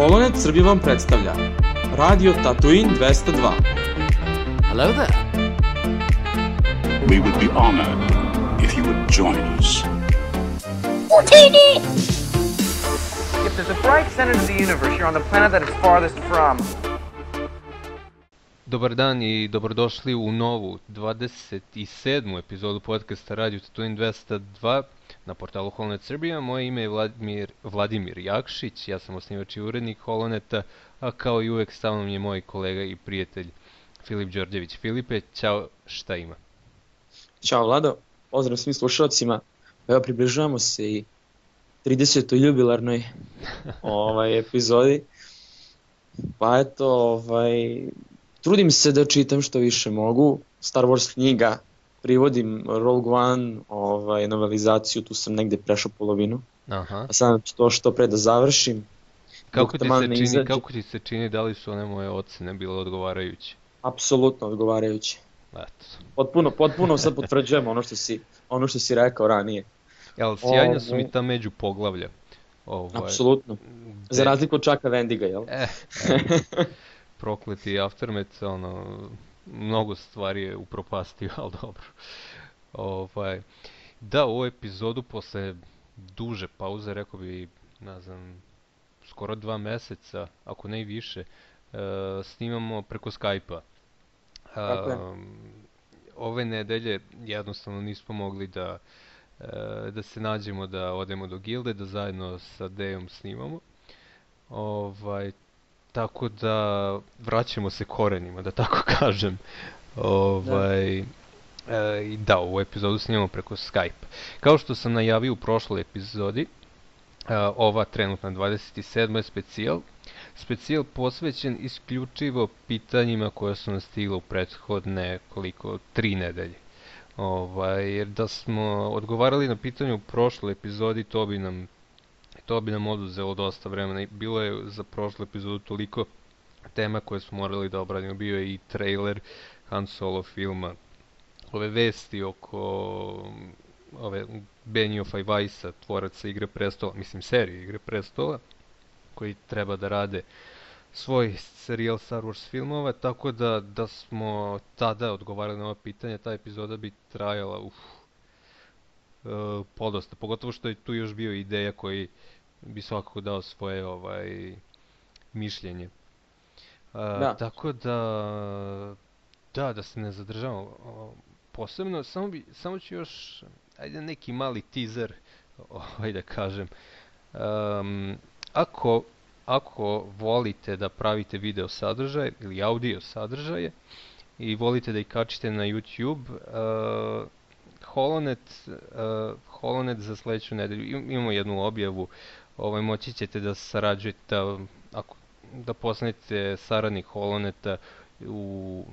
Holonet Srbija vam predstavlja Radio Tatooine 202. Hello there. We would be honored if you would join us. If there's a bright center to the universe, you're on the planet that it's farthest from. Dobar dan i dobrodošli u novu 27. epizodu podcasta Radio Tatooine 202 na portalu Holonet Srbija. Moje ime je Vladimir Jakšić, ja sam osnivač i urednik Holoneta, a kao i uvek sa mnom je moj kolega i prijatelj Filip Đorđević. Filipe, ćao, šta ima? Ćao Vlado, pozdrav svim slušalcima. Evo približavamo se i 30. jubilarnoj epizodi. Pa eto, trudim se da čitam što više mogu. Star Wars knjiga, privodim Rogue One, novelizaciju, tu sam negde prešao polovinu. Aha. A sad to što pre da završim. Kako ti se čini, da li su one moje ocene bile odgovarajuće? Apsolutno odgovarajuće. Eto. Potpuno sad potvrđujem ono što si rekao ranije. Jel, sjajna su mi ta među poglavlja. Apsolutno. Za razliku od Chucka Wendiga, jel? Prokleti Aftermath, mnogo stvari je upropastio, ali dobro. Da, u ovu epizodu posle duže pauze, rekao bi, ne znam, skoro 2 meseca, ako ne i više, snimamo preko Skype-a. Ove nedelje jednostavno nismo mogli da se nađemo, da odemo do gilde, da zajedno sa Dejom snimamo. Tako da vraćamo se korenima, da tako kažem. Da, ovu epizodu snimamo preko Skype. Kao što sam najavio u prošloj epizodi, ova trenutna 27. je specijal posvećen isključivo pitanjima koja su nas stigla u prethodne 3 nedelje. Jer da smo odgovarali na pitanje u prošloj epizodi, to bi nam oduzelo dosta vremena. Bilo je za prošlu epizodu toliko tema koje smo morali da obradimo. Bio je i trailer Han Solo filma, ove vesti oko ove Beniofa i Weissa, tvoraca Igre prestola, serije Igre prestola, koji treba da rade svoj serijal Star Wars filmova, tako da smo tada odgovarali na ova pitanja. Ta epizoda bi trajala podosta, pogotovo što je tu još bio ideja koji bi svakako dao svoje mišljenje. Tako da se ne zadržavamo posebno, samo ću još, neki mali teaser, da kažem. Ako volite da pravite video sadržaj ili audio sadržaje i volite da ih kačite na YouTube, Holonet za sledeću nedelju, imamo jednu objavu, moći ćete da sarađujete, da postanete saradnik Holoneta u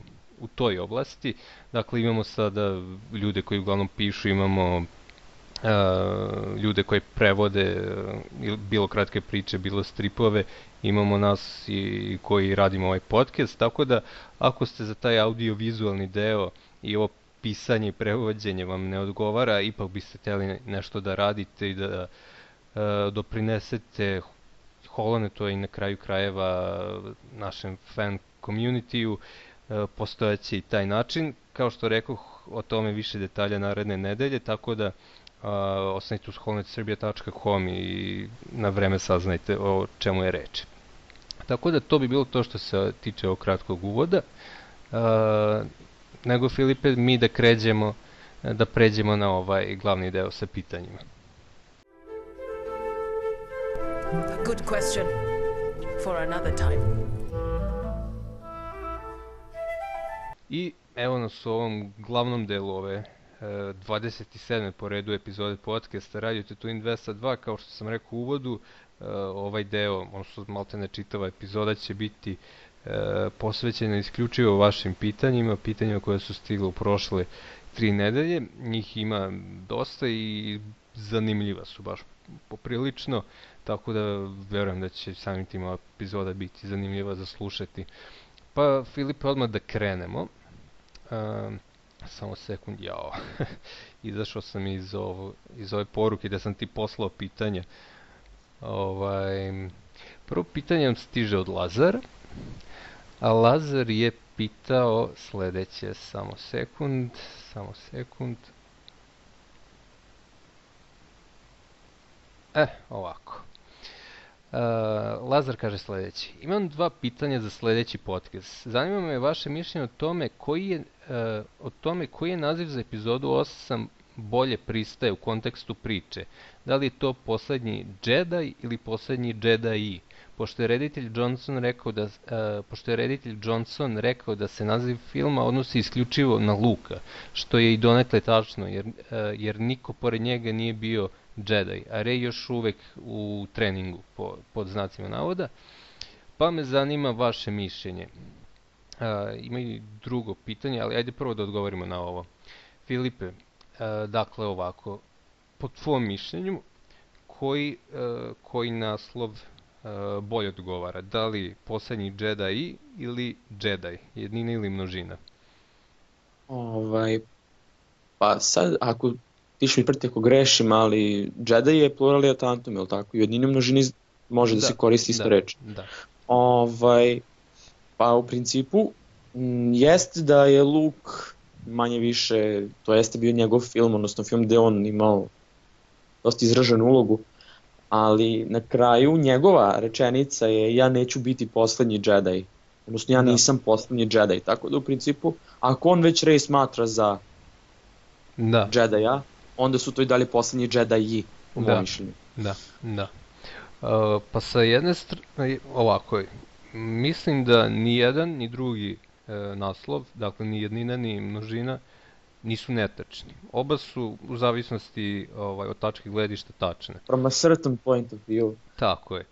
toj oblasti. Dakle, imamo sada ljude koji uglavnom pišu, imamo ljude koji prevode bilo kratke priče, bilo stripove, imamo nas koji radimo ovaj podcast, tako da ako ste za taj audio-vizualni deo i ovo pisanje i prevođenje vam ne odgovara, ipak biste htjeli nešto da radite i da doprinesete Holonetu i na kraju krajeva našem fan community-u, postojaće i taj način. Kao što rekoh, o tome više detalja naredne nedelje, tako da ostanite uz holonetserbia.com i na vreme saznajte o čemu je reč. Tako da to bi bilo to što se tiče ovog kratkog uvoda. Nego, Filipe, mi da pređemo na ovaj glavni deo sa pitanjima. A good question for another time. I evo nas u ovom glavnom delu ove 27. po redu epizode podcasta Radio Tatooine 202. Kao što sam rekao u uvodu, ovaj deo, odnosno maltene čitava epizoda će biti posvećena isključivo vašim pitanjima koje su stigle u prošle 3 nedelje. Njih ima dosta i zanimljiva su baš poprilično, tako da verujem da će samim tim ova epizoda biti zanimljiva za slušati. Pa, Filipe, odmah da krenemo. Samo sekund, izašao sam iz ove poruke da sam ti poslao pitanja. Prvo pitanje nam stiže od Lazara, a Lazar je pitao sledeće, samo sekund. Ovako. Lazar kaže sledeći. Imam 2 pitanja za sledeći podcast. Zanima me vaše mišljenje o tome koji je naziv za epizodu 8 bolje pristaje u kontekstu priče. Da li je to Poslednji Jedi ili Poslednji Jedi? Pošto je reditelj Johnson rekao da se naziv filma odnosi isključivo na Luka, što je i donekle tačno, jer niko pored njega nije bio Jedi, a Rey još uvek u treningu, pod znacima navoda, pa me zanima vaše mišljenje. Ima i drugo pitanje, ali ajde prvo da odgovorimo na ovo. Filipe, dakle ovako, po tvom mišljenju, koji naslov bolje odgovara? Da li Poslednji Jedi ili Jedi? Jednina ili množina? Pa sad, ako ti ću mi prti ako grešim, ali Jedi je pluralija tantum, je li tako? I jednina množini može da se koristi isto reč. Da. Pa u principu, jeste da je Luke manje više, to jeste bio njegov film, odnosno film gde on imao dosta izraženu ulogu, ali na kraju njegova rečenica je ja neću biti poslednji Jedi, odnosno ja nisam poslednji Jedi, tako da u principu ako on već Rey smatra za Jedija, onda su to i dalje poslednji Jediji u mojom mišljenju. Da. Pa sa jedne strane, ovako, mislim da ni jedan ni drugi naslov, dakle ni jednina ni množina, nisu netačni. Oba su u zavisnosti od tačke gledišta tačne. From a certain point of view. Tako je.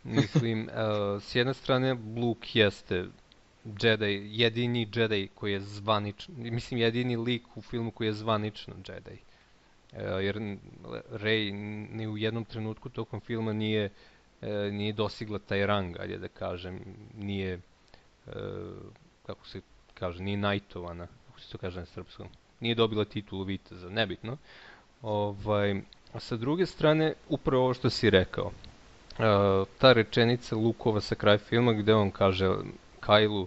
Mislim, s jedne strane Luke jeste Jedi, jedini Jedi koji je zvanično, mislim jedini lik u filmu koji je zvanično Jedi. Jer Rey ni u jednom trenutku tokom filma nije dosigla taj rang, ajde da kažem, nije, kako se kaže, nije knightovana, kako se to kaže na srpskom. Nije dobila titulu viteza, nebitno. A sa druge strane, upravo ovo što si rekao, ta rečenica Lukova sa kraja filma gde on kaže Kylu,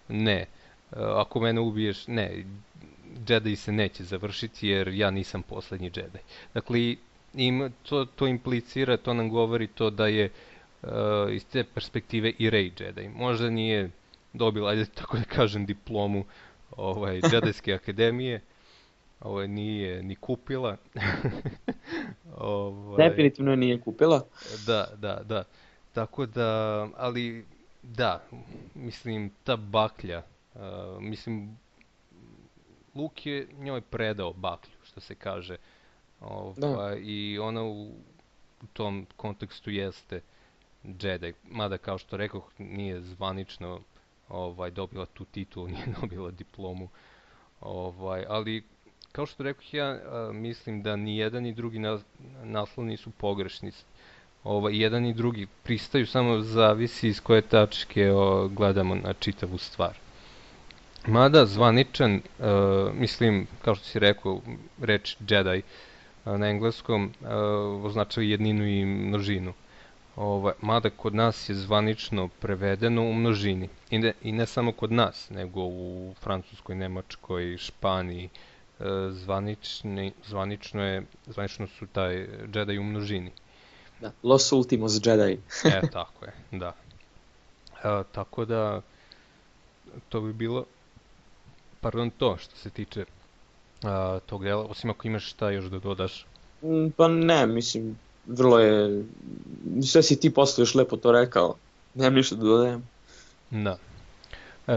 ne, ako mene ubiješ, ne, Jedi se neće završiti jer ja nisam poslednji Jedi. Dakle, to implicira, to nam govori to da je iz te perspektive i Rey Jedi. Možda nije dobila, ajde tako da kažem, diplomu Jedejske akademije, nije ni kupila. Definitivno nije kupila. Da. Tako da, ali da, mislim, ta baklja, mislim, Luke je njoj predao baklju, što se kaže. I ona u tom kontekstu jeste Jedi. Mada, kao što rekoh, nije zvanično dobila tu titulu, nije dobila diplomu. Ali, kao što rekoh, ja mislim da ni jedan ni drugi naslov nisu pogrešni. Jedan i drugi pristaju, samo zavisi iz koje tačke gledamo na čitavu stvar. Mada zvaničan, mislim, kao što si rekao, reč Jedi na engleskom označava jedninu i množinu. Mada kod nas je zvanično prevedeno u množini. I ne samo kod nas, nego u Francuskoj, Nemačkoj, Španiji. Zvanično su taj Jedi u množini. Da, Los Ultimos Jedi. Tako je, da. Tako da, to bi bilo, to što se tiče tog dela, osim ako imaš šta još da dodaš. Pa ne, mislim, vrlo je, sve si ti posle još lepo to rekao, nemam ništa da dodajem. Da.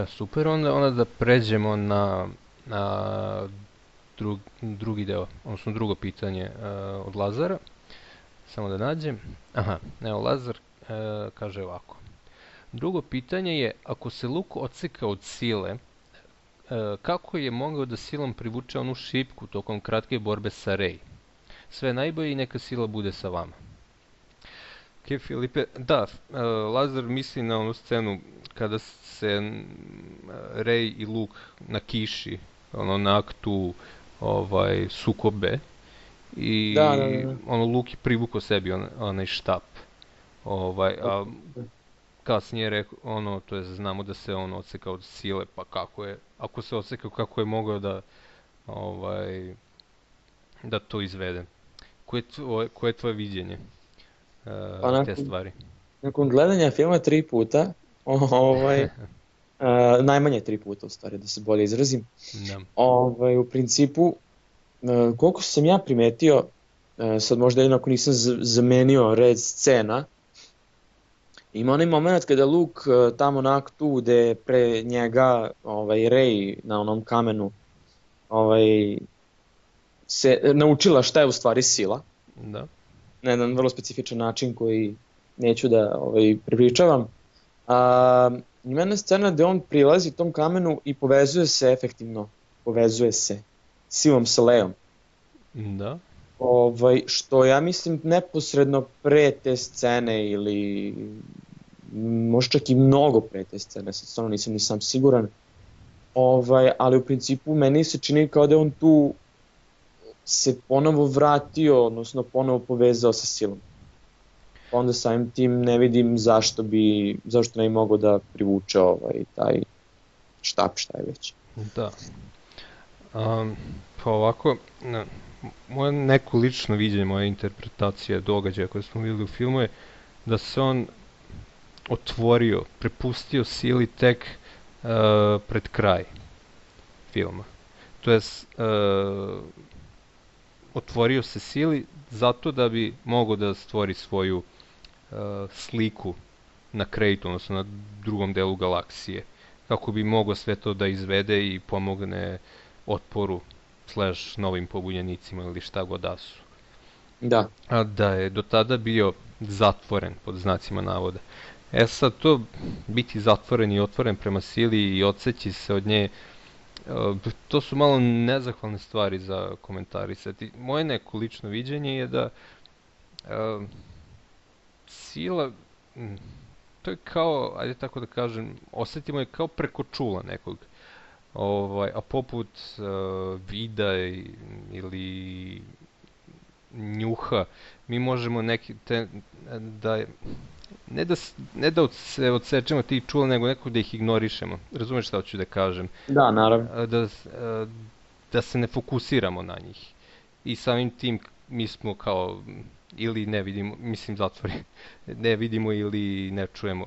Super, onda da pređemo na drugi deo, odnosno drugo pitanje od Lazara. Samo da nađem. Evo, Lazar kaže ovako. Drugo pitanje je, ako se Luke odseka od sile, kako je mogao da silom privuče onu šipku tokom kratke borbe sa Rey? Sve najbolje i neka sila bude sa vama. Ok, Filipe, da, Lazar misli na onu scenu kada se Rey i Luke na kiši, na aktu sukobe. I Luke je privukao sebi onaj štap. A kasnije rekao, to je znamo da se on odsekao od sile, pa ako se odsekao, kako je mogao da to izvede? Koje je tvoje viđenje te stvari? Nakon gledanja filma 3 puta, najmanje 3 puta u stvari, da se bolje izrazim, u principu, koliko sam ja primetio, sad možda jednako nisam zamenio red scena, ima onaj moment kada Luke tamo na aktu gde pre njega Rey na onom kamenu se naučila šta je u stvari sila. Da. Na jedan vrlo specifičan način koji neću da prepričavam. Ima jedna scena gde on prilazi tom kamenu i povezuje se silom sa Leom. Da. Što ja mislim neposredno pre te scene ili možda čak i mnogo pre te scene, sad stvarno nisam ni sam siguran, ali u principu meni se čini kao da on tu se ponovo vratio, odnosno ponovo povezao sa silom. Onda samim tim ne vidim zašto ne bi mogao da privuče taj štap, šta je već. Da. Pa ovako, moje neko lično viđenje, moja interpretacija događaja koje smo vidjeli u filmu je da se on otvorio, prepustio sili tek pred kraj filma. To jest, otvorio se sili zato da bi mogao da stvori svoju sliku na Kraytu, odnosno na drugom delu galaksije, kako bi mogao sve to da izvede i pomogne otporu / novim pobunjenicima ili šta god da su. Da. A da je do tada bio zatvoren, pod znacima navoda. Sad to biti zatvoren i otvoren prema sili i odseći se od nje, to su malo nezahvalne stvari za komentarisati. Moje neko lično viđenje je da sila, to je kao, ajde tako da kažem, osjetimo je kao preko čula nekog. A poput vida ili njuha, mi možemo ne da se odsečemo tih čula, nego nekako da ih ignorišemo. Razumeš šta hoću da kažem? Da, naravno. Da se ne fokusiramo na njih. I samim tim mi smo kao, ili ne vidimo, mislim zatvori, ne vidimo ili ne čujemo.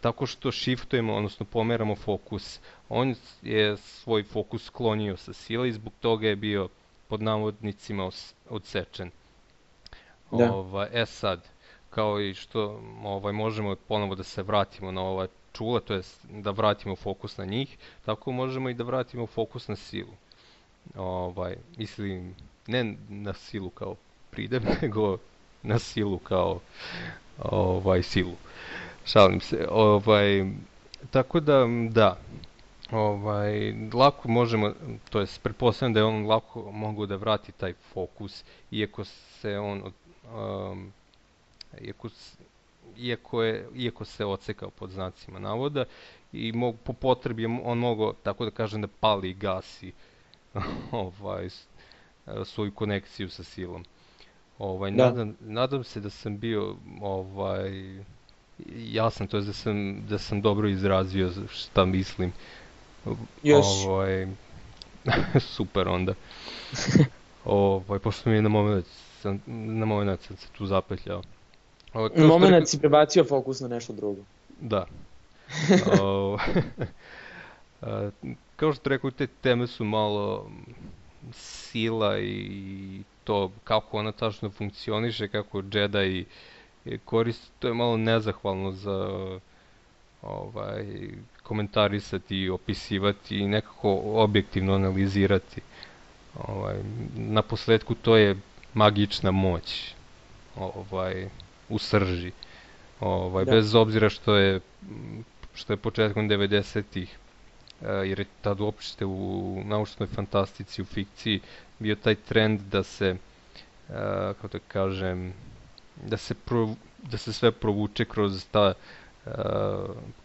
Tako što shiftujemo, odnosno pomeramo fokus. On je svoj fokus sklonio sa sile i zbog toga je bio pod navodnicima odsečen. Da. Sad, kao i što možemo ponovo da se vratimo na ova čula, to jest da vratimo fokus na njih, tako možemo i da vratimo fokus na silu. Mislim, ne na silu kao pridev, nego na silu kao silu. Šalim se. Tako da, lako možemo, to jest pretpostavljam da je on lako mogao da vrati taj fokus, iako se on iako se odsekao pod znacima navoda i po potrebi on mogao, tako da kažem, da pali i gasi svoju konekciju sa silom. Nadam se da sam bio jasan, to je da sam dobro izrazio šta mislim. Super onda. Pošto mi je na moment sam se tu zapetljao. Na moment si prebacio fokus na nešto drugo. Da. Kao što rekao, te teme su malo sila i to kako ona tačno funkcioniše, kako Jedi koristi, to je malo nezahvalno za komentarisati i opisivati i nekako objektivno analizirati. Na posledku to je magična moć u srži. Bez obzira što je početkom 90-ih, jer je tad uopšte u naučnoj fantastici, u fikciji, bio taj trend da se, kako da kažem, da se sve provuče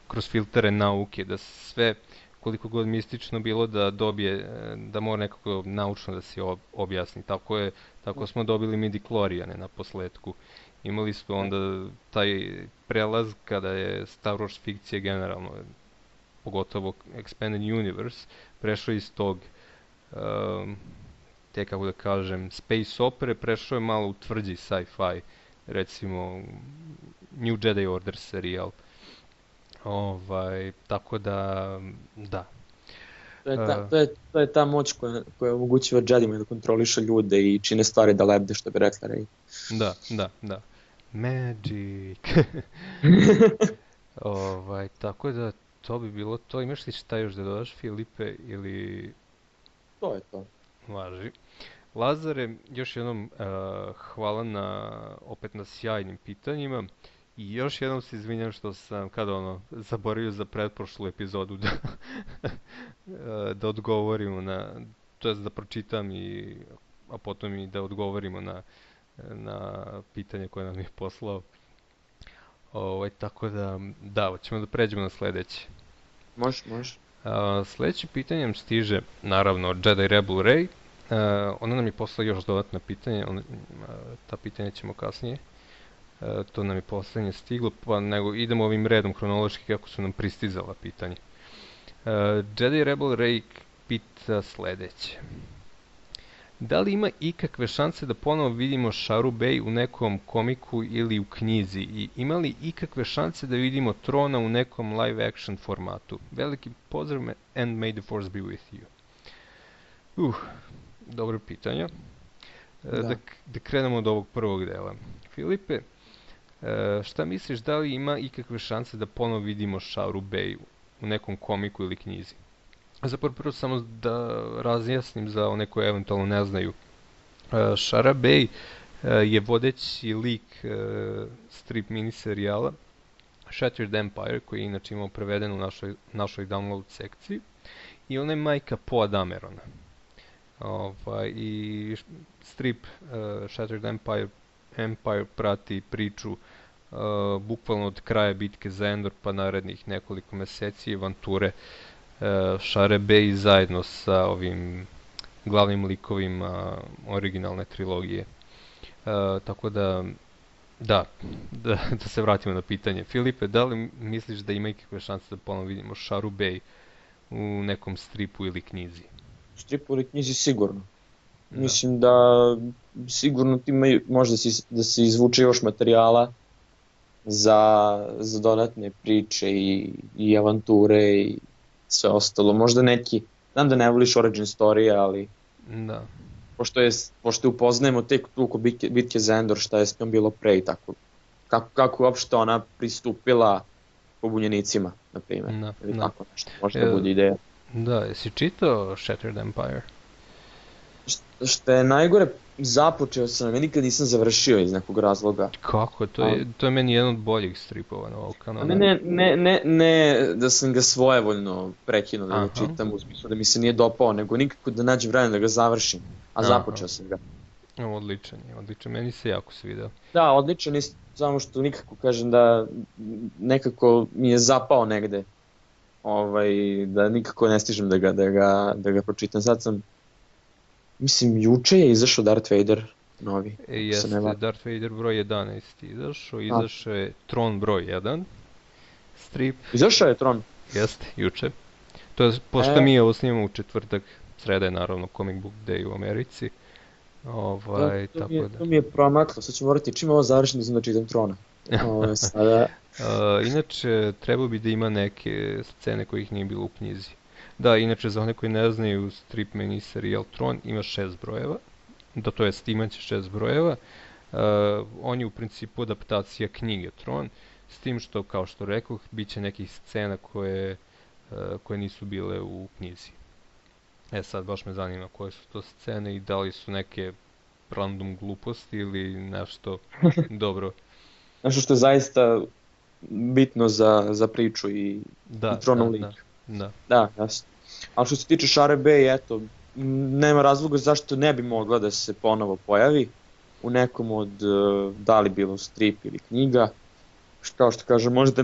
kroz filtere nauke, da sve, koliko god mistično bilo, da mora nekako naučno da se objasni. Tako smo dobili midichloriane na posledku. Imali su onda taj prelaz kada je Star Wars fikcija generalno, pogotovo Expanded Universe, prešao iz tog, te kako da kažem, space opere, prešao je malo u tvrđi sci-fi, recimo New Jedi Order serijal. Tako da, da. To je ta moć koja omogućava Jedima da kontroliše ljude i čine stvari da lebde, što bi rekla Rey. Da. Magic. Tako da to bi bilo to. Imaš li šta još da dodaš, Filipe, ili... To je to. Važi. Lazare, još jednom hvala opet na sjajnim pitanjima. I još jednom se izvinjam što sam zaboravio za pretprošlu epizodu da odgovorimo to jest da pročitam a potom i da odgovorimo na pitanje koje nam je poslao. Tako da, ćemo da pređemo na sledeće. Može. Sledeće pitanje nam stiže, naravno, od Jedi Rebel Rey. Ona nam je poslala još dodatna pitanja, ta pitanja ćemo kasnije. To nam je poslednje stiglo, pa nego idemo ovim redom hronološki kako su nam pristizala pitanja. Jedi Rebel Rey pita sledeće. Da li ima ikakve šanse da ponovo vidimo Sharu Bey u nekom komiku ili u knjizi? I ima li ikakve šanse da vidimo Trona u nekom live action formatu? Veliki pozdrav and may the force be with you. Dobro pitanje. Da krenemo od ovog prvog dela. Filipe, šta misliš, da li ima ikakve šanse da ponovo vidimo Sharu Bey u nekom komiku ili knjizi? Zapravo prvo samo da razjasnim za one koje eventualno ne znaju. Shara Bey je vodeći lik strip miniserijala Shattered Empire, koji je inače imao preveden u našoj download sekciji. I ona je majka Poe Damerona. I strip Shattered Empire prati priču bukvalno od kraja bitke za Endor pa narednih nekoliko meseci i avanture Share Bey zajedno sa ovim glavnim likovima originalne trilogije. Tako da se vratimo na pitanje. Filipe, da li misliš da ima ikakve šanse da ponovno vidimo Sharu Bey u nekom stripu ili knjizi? Stripu ili knjizi sigurno. Mislim da sigurno može da se izvuče još materijala za dodatne priče i avanture i sve ostalo. Možda neki, znam da ne voliš origin story, ali pošto je upoznajemo tek tu oko bitke za Endor, šta je s njom bilo pre i tako. Kako uopšte ona pristupila pobunjenicima, na primjer. Ili tako nešto, možda bude ideja. Da, jesi čitao Shattered Empire? Što je najgore, započeo sam, ja nikad nisam završio iz nekog razloga. Kako? To je meni jedan od boljih stripova na ovog kanala. Ne da sam ga svojevoljno prekinuo da ga čitam, u smislu da mi se nije dopao, nego nikako da nađem vremena da ga završim, a započeo sam ga. Odličan, meni se jako svidao. Da, odličan je, samo što nikako kažem da nekako mi je zapao negde, da nikako ne stižem da ga pročitam. Sad sam, mislim, juče je izašao Darth Vader novi. Jeste, Darth Vader broj 11 izašao je Tron broj 1 strip. Izašao je Tron? Jeste, juče. To je, pošto mi ovo snimamo u četvrtak, sreda je naravno Comic Book Day u Americi. To mi je promaklo, sad ću morati čim ovo završim da čitam Trona. Inače, trebao bi da ima neke scene kojih nije bilo u knjizi. Da, inače, za one koji ne znaju, strip miniserijal Tron ima 6 brojeva, to jest imaće 6 brojeva. On je u principu adaptacija knjige Tron, s tim što, kao što rekoh, bit će nekih scena koje nisu bile u knjizi. Sad baš me zanima koje su to scene i da li su neke random gluposti ili nešto dobro. Nešto što je zaista bitno za priču i Tronov lik. Da, jasno. Ali što se tiče Share Bey, eto, nema razloga zašto ne bi mogla da se ponovo pojavi u nekom od, da li bilo strip ili knjiga. Kao što kažem, možda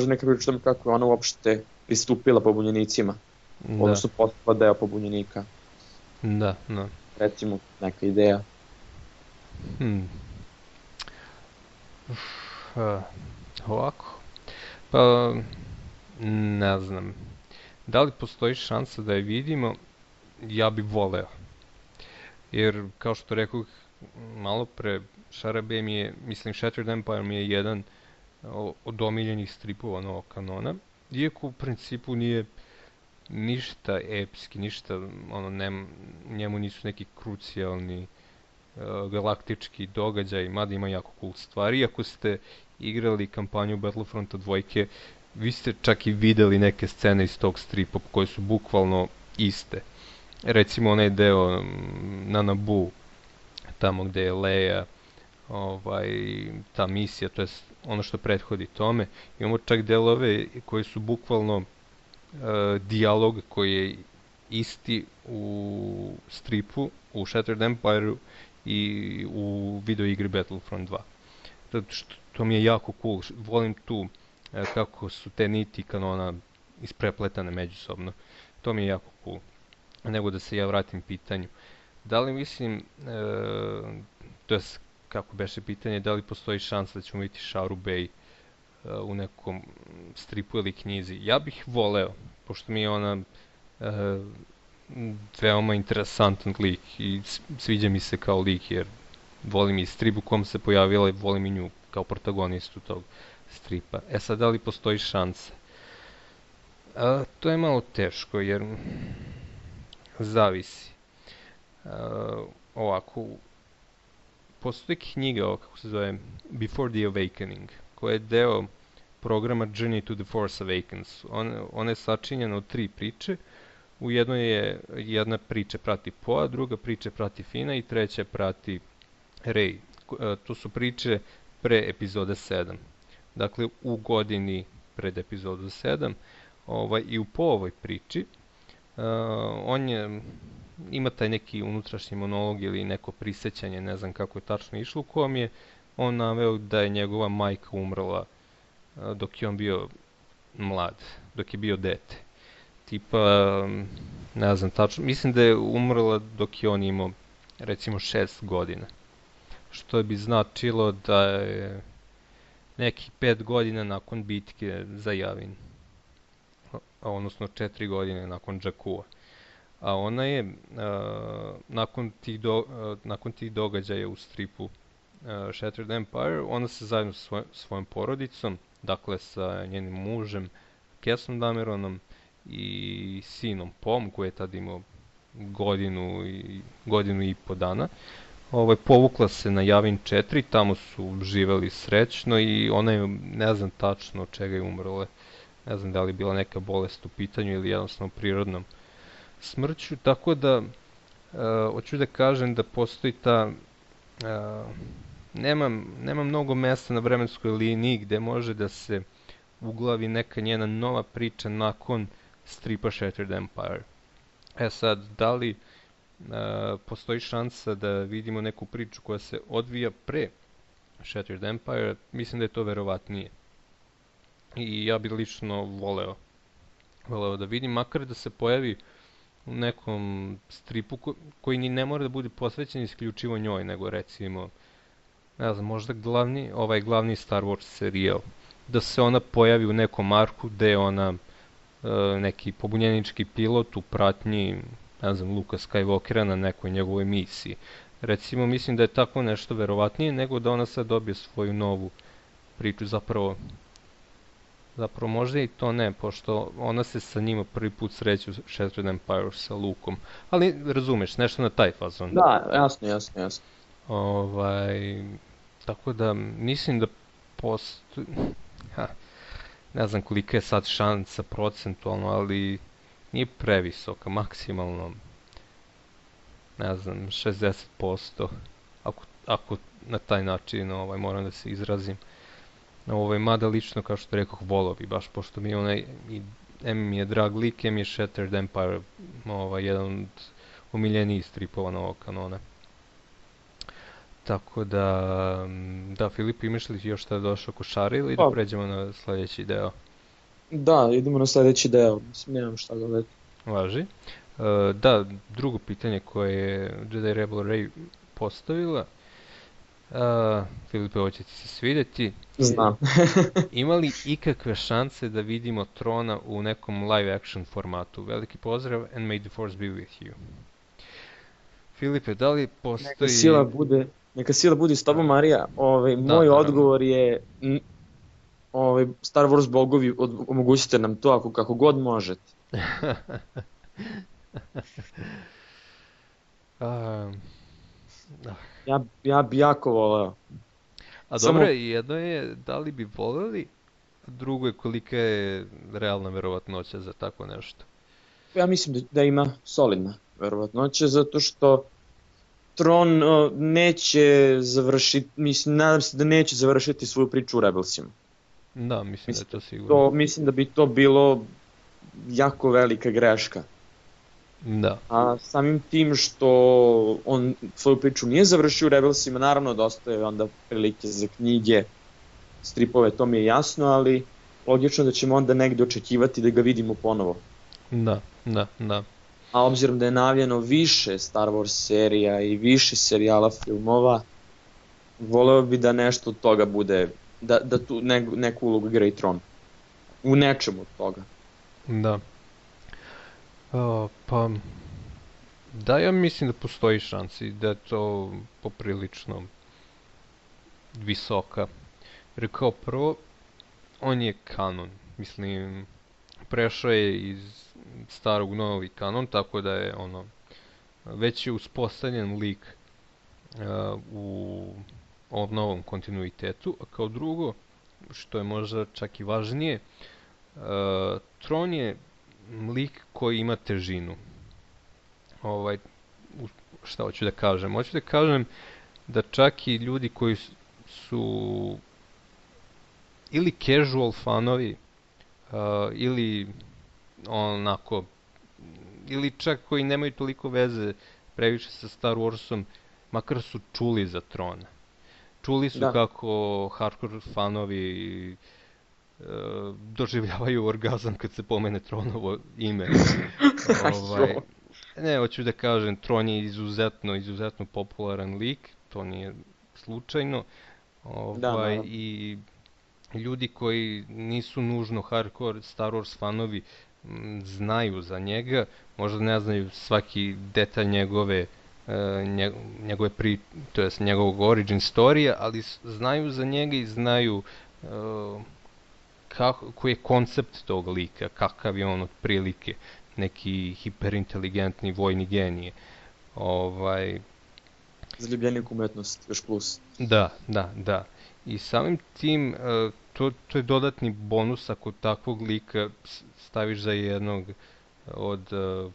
neka priča kako je ona uopšte pristupila pobunjenicima. Odnosno postala deo pobunjenika. Da. Recimo, neka ideja. Ovako. Pa, ne znam. Da li postoji šansa da je vidimo? Ja bi voleo. Jer, kao što rekao malo pre, Šarabe mi je, mislim, Shattered Empire mi je jedan od omiljenih stripova novog kanona. Iako u principu nije ništa epski, ništa, njemu nisu neki krucijalni galaktički događaj, mada ima jako cool stvari. Iako ste igrali kampanju Battlefronta 2, vi ste čak i videli neke scene iz tog stripa koje su bukvalno iste. Recimo onaj deo na Naboo, tamo gde je Leia, ta misija, to je ono što prethodi tome. Imamo čak delove koji su bukvalno dijalog koji je isti u stripu, u Shattered Empire i u videoigri Battlefront 2. To mi je jako cool, volim tu kako su te niti kanona isprepletane međusobno. To mi je jako cool. Nego da se ja vratim pitanju. Da li mislim, to je kako beše pitanje, da li postoji šansa da ćemo vidjeti Sharu Bey u nekom stripu ili knjizi? Ja bih voleo, pošto mi je ona veoma interesantan lik i sviđa mi se kao lik, jer volim i strip u kom se pojavila i volim i nju kao protagonistu tog stripa. Sad, da li postoji šansa? To je malo teško, jer zavisi. Ovako, postoji knjiga, kako se zove, Before the Awakening, koja je deo programa Journey to the Force Awakens. Ona je sačinjena od 3 priče. U jednoj je jedna priča prati Poa, druga priča prati Fina i treća prati Rey. To su priče pre epizode 7. Dakle, u godini pred epizodu 7. I u Poovoj priči on ima taj neki unutrašnji monolog ili neko prisećanje, ne znam kako je tačno išlo, u kojem je on naveo da je njegova majka umrla dok je on bio mlad, dok je bio dete. Tipa, ne znam tačno, mislim da je umrla dok je on imao recimo 6 godina. Što bi značilo da je nekih 5 godina nakon bitke za Yavin. Odnosno 4 godine nakon Jakua. A ona je, nakon tih događaja u stripu Shattered Empire, ona se zajedno sa svojom porodicom, dakle sa njenim mužem, Kessom Dameronom i sinom Pom, koji je tad imao godinu i po dana, povukla se na Yavin 4, tamo su živeli srećno i ona je, ne znam tačno od čega je umrla. Ne znam da li je bila neka bolest u pitanju ili jednostavno prirodnom smrću, tako da hoću da kažem da postoji ta nema mnogo mesta na vremenskoj liniji gde može da se uglavi neka njena nova priča nakon stripa Shattered Empire. Sad, da li postoji šansa da vidimo neku priču koja se odvija pre Shattered Empire? Mislim da je to verovatnije. I ja bih lično voleo da vidim, makar da se pojavi u nekom stripu koji ni ne mora da bude posvećen isključivo njoj, nego recimo, ne znam, možda glavni Star Wars serijal, da se ona pojavi u nekom arku gde je ona neki pobunjenički pilot u pratnji, ne znam, Luka Skywalkera na nekoj njegovoj misiji. Recimo, mislim da je tako nešto verovatnije nego da ona sad dobije svoju novu priču, zapravo možda i to ne, pošto ona se sa njima prvi put sreće u Shattered Empire sa Lukom. Ali razumeš, nešto na taj fazon. Da, jasno. Tako da mislim da postoji, ne znam kolika je sad šansa procentualno, ali nije previsoka, maksimalno, ne znam, 60%, ako na taj način moram da se izrazim. Mada lično, kao što rekoh, volao bi, baš pošto mi je mi je drag lik, mi je Shattered Empire jedan od omiljenijih stripova novog kanona. Tako da, Filip, imaš li još šta došao ko Šare ili da pređemo na sljedeći deo? Da, idemo na sljedeći deo, mislim, nemam šta da već. Važi. Da, drugo pitanje koje je Jedi Rebel Rey postavila, Filipe, ovo će ti se svidjeti. Znam. Ima li ikakve šanse da vidimo Trona u nekom live action formatu? Veliki pozdrav and may the force be with you. Filipe, da li postoji... Neka sila bude s tobom, Marija. Moj naravno. odgovor je Star Wars bogovi, omogućite nam to kako god možete. Ja bi jako voleo. A dobro, jedno je da li bi voleli, a drugo je kolika je realna verovatnoća za tako nešto. Ja mislim da ima solidna verovatnoća, zato što Tron neće završiti, nadam se da neće završiti svoju priču u Rebelsima. Da, mislim da je to sigurno. Mislim da bi to bilo jako velika greška. Da. A samim tim što on svoju priču nije završio u Rebelsima, naravno da ostaje onda prilike za knjige, stripove, to mi je jasno, ali logično da ćemo onda negdje očekivati da ga vidimo ponovo. Da. A obzirom da je najavljeno više Star Wars serija i više serijala filmova, voleo bi da nešto od toga bude, da tu neku ulogu igra i Tron. U nečemu od toga. Da. Pa, da, ja mislim da postoji šansi, da je to poprilično visoka. Jer kao prvo, on je kanon, mislim, prešao je iz starog u novi kanon, tako da je već je uspostavljen lik u ovom novom kontinuitetu, a kao drugo, što je možda čak i važnije, Tron je lik koji ima težinu. Šta hoću da kažem? Hoću da kažem da čak i ljudi koji su ili casual fanovi, ili onako, ili čak koji nemaju toliko veze previše sa Star Warsom, makar su čuli za Trona. Čuli su kako hardcore fanovi doživljavaju orgazam kad se pomene Tronovo ime. Ne, hoću da kažem, Tron je izuzetno popularan lik, to nije slučajno. I ljudi koji nisu nužno hardcore Star Wars fanovi znaju za njega, možda ne znaju svaki detalj njegove to jest njegovog origin storija, ali znaju za njega i znaju koji je koncept tog lika, kakav je on otprilike, neki hiperinteligentni vojni genije. Zaljubljenik umetnost, još plus. Da. I samim tim, to je dodatni bonus ako takvog lika staviš za jednog od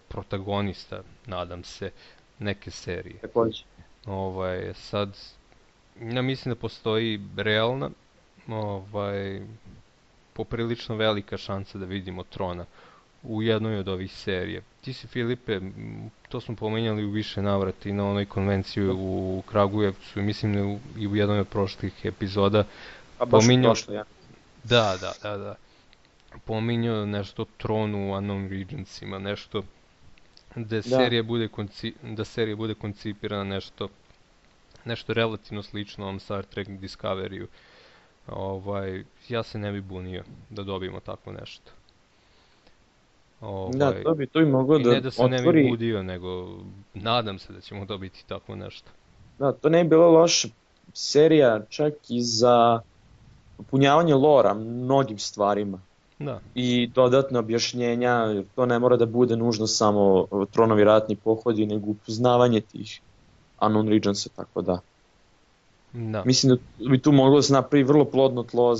protagonista, nadam se, neke serije. Također. Sad, ja mislim da postoji realna, poprilično velika šansa da vidimo Trona u jednoj od ovih serija. Ti si, Filipe, to smo pomenjali u više navrata i na onoj konvenciji u Kragujevcu, mislim i u jednoj od prošlih epizoda. Pominjao... Da. Pominjao nešto o Tronu u Unknown Regentsima, nešto da serija bude koncipirana nešto relativno slično ovom Star Trek Discoveryu. Ja se ne bi bunio da dobijemo tako nešto. To bi moglo da ne da se ne bi budio, nego nadam se da ćemo dobiti tako nešto. Da, to ne bi bilo loša serija čak i za popunjavanje lora mnogim stvarima. Da. I dodatne objašnjenja, jer to ne mora da bude nužno samo Tronovi ratni pohodi, nego upoznavanje tih Unknown Regentsa, tako da. Da. Mislim da bi tu moglo da se napravi vrlo plodno tlo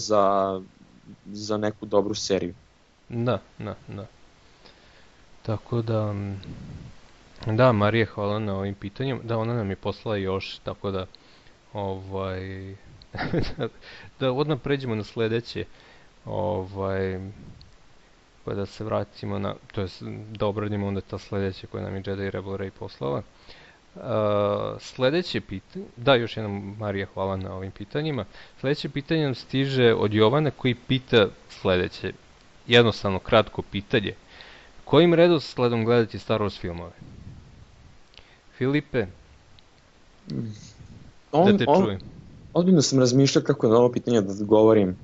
za neku dobru seriju. Da. Tako da, Marija, hvala na ovim pitanjima. Da, ona nam je poslala još, tako da, da odmah pređemo na sljedeće, pa da se vratimo to jest da obradimo onda ta sljedeća koja nam je Jedi Rebel Ray poslala. Sljedeće pitanje, da, još jednom, Marija, hvala na ovim pitanjima. Sljedeće pitanje nam stiže od Jovana koji pita sljedeće, jednostavno kratko pitanje. Kojim redosledom gledati Star Wars filmove? Filipe, da te čujem. ozbiljno sam razmišljao kako na ovo pitanje da odgovorim.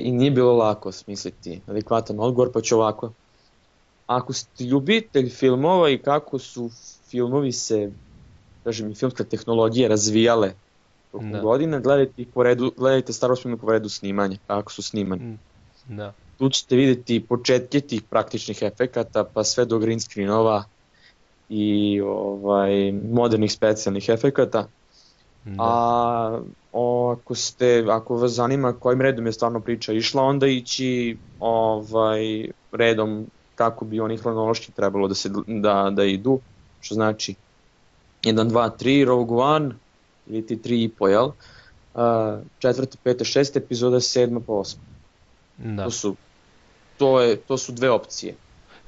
I nije bilo lako smisliti adekvatan odgovor, pa ću ovako. Ako ste ljubitelj filmova i kako su filmovi se, kažem, i filmska tehnologija razvijale tokom godina, gledajte Star Wars filme po redu snimanja, kako su snimani. Da. Tu ćete vidjeti početke tih praktičnih efekata, pa sve do green screenova i modernih specijalnih efekata. A ako vas zanima kojim redom je stvarno priča išla, onda ići redom kako bi oni hronološki trebalo da idu, što znači 1, 2, 3, Rogue One, ili ti 3,5, jel? 4., 5., 6. epizoda, 7. pa 8. Da. To su dve opcije.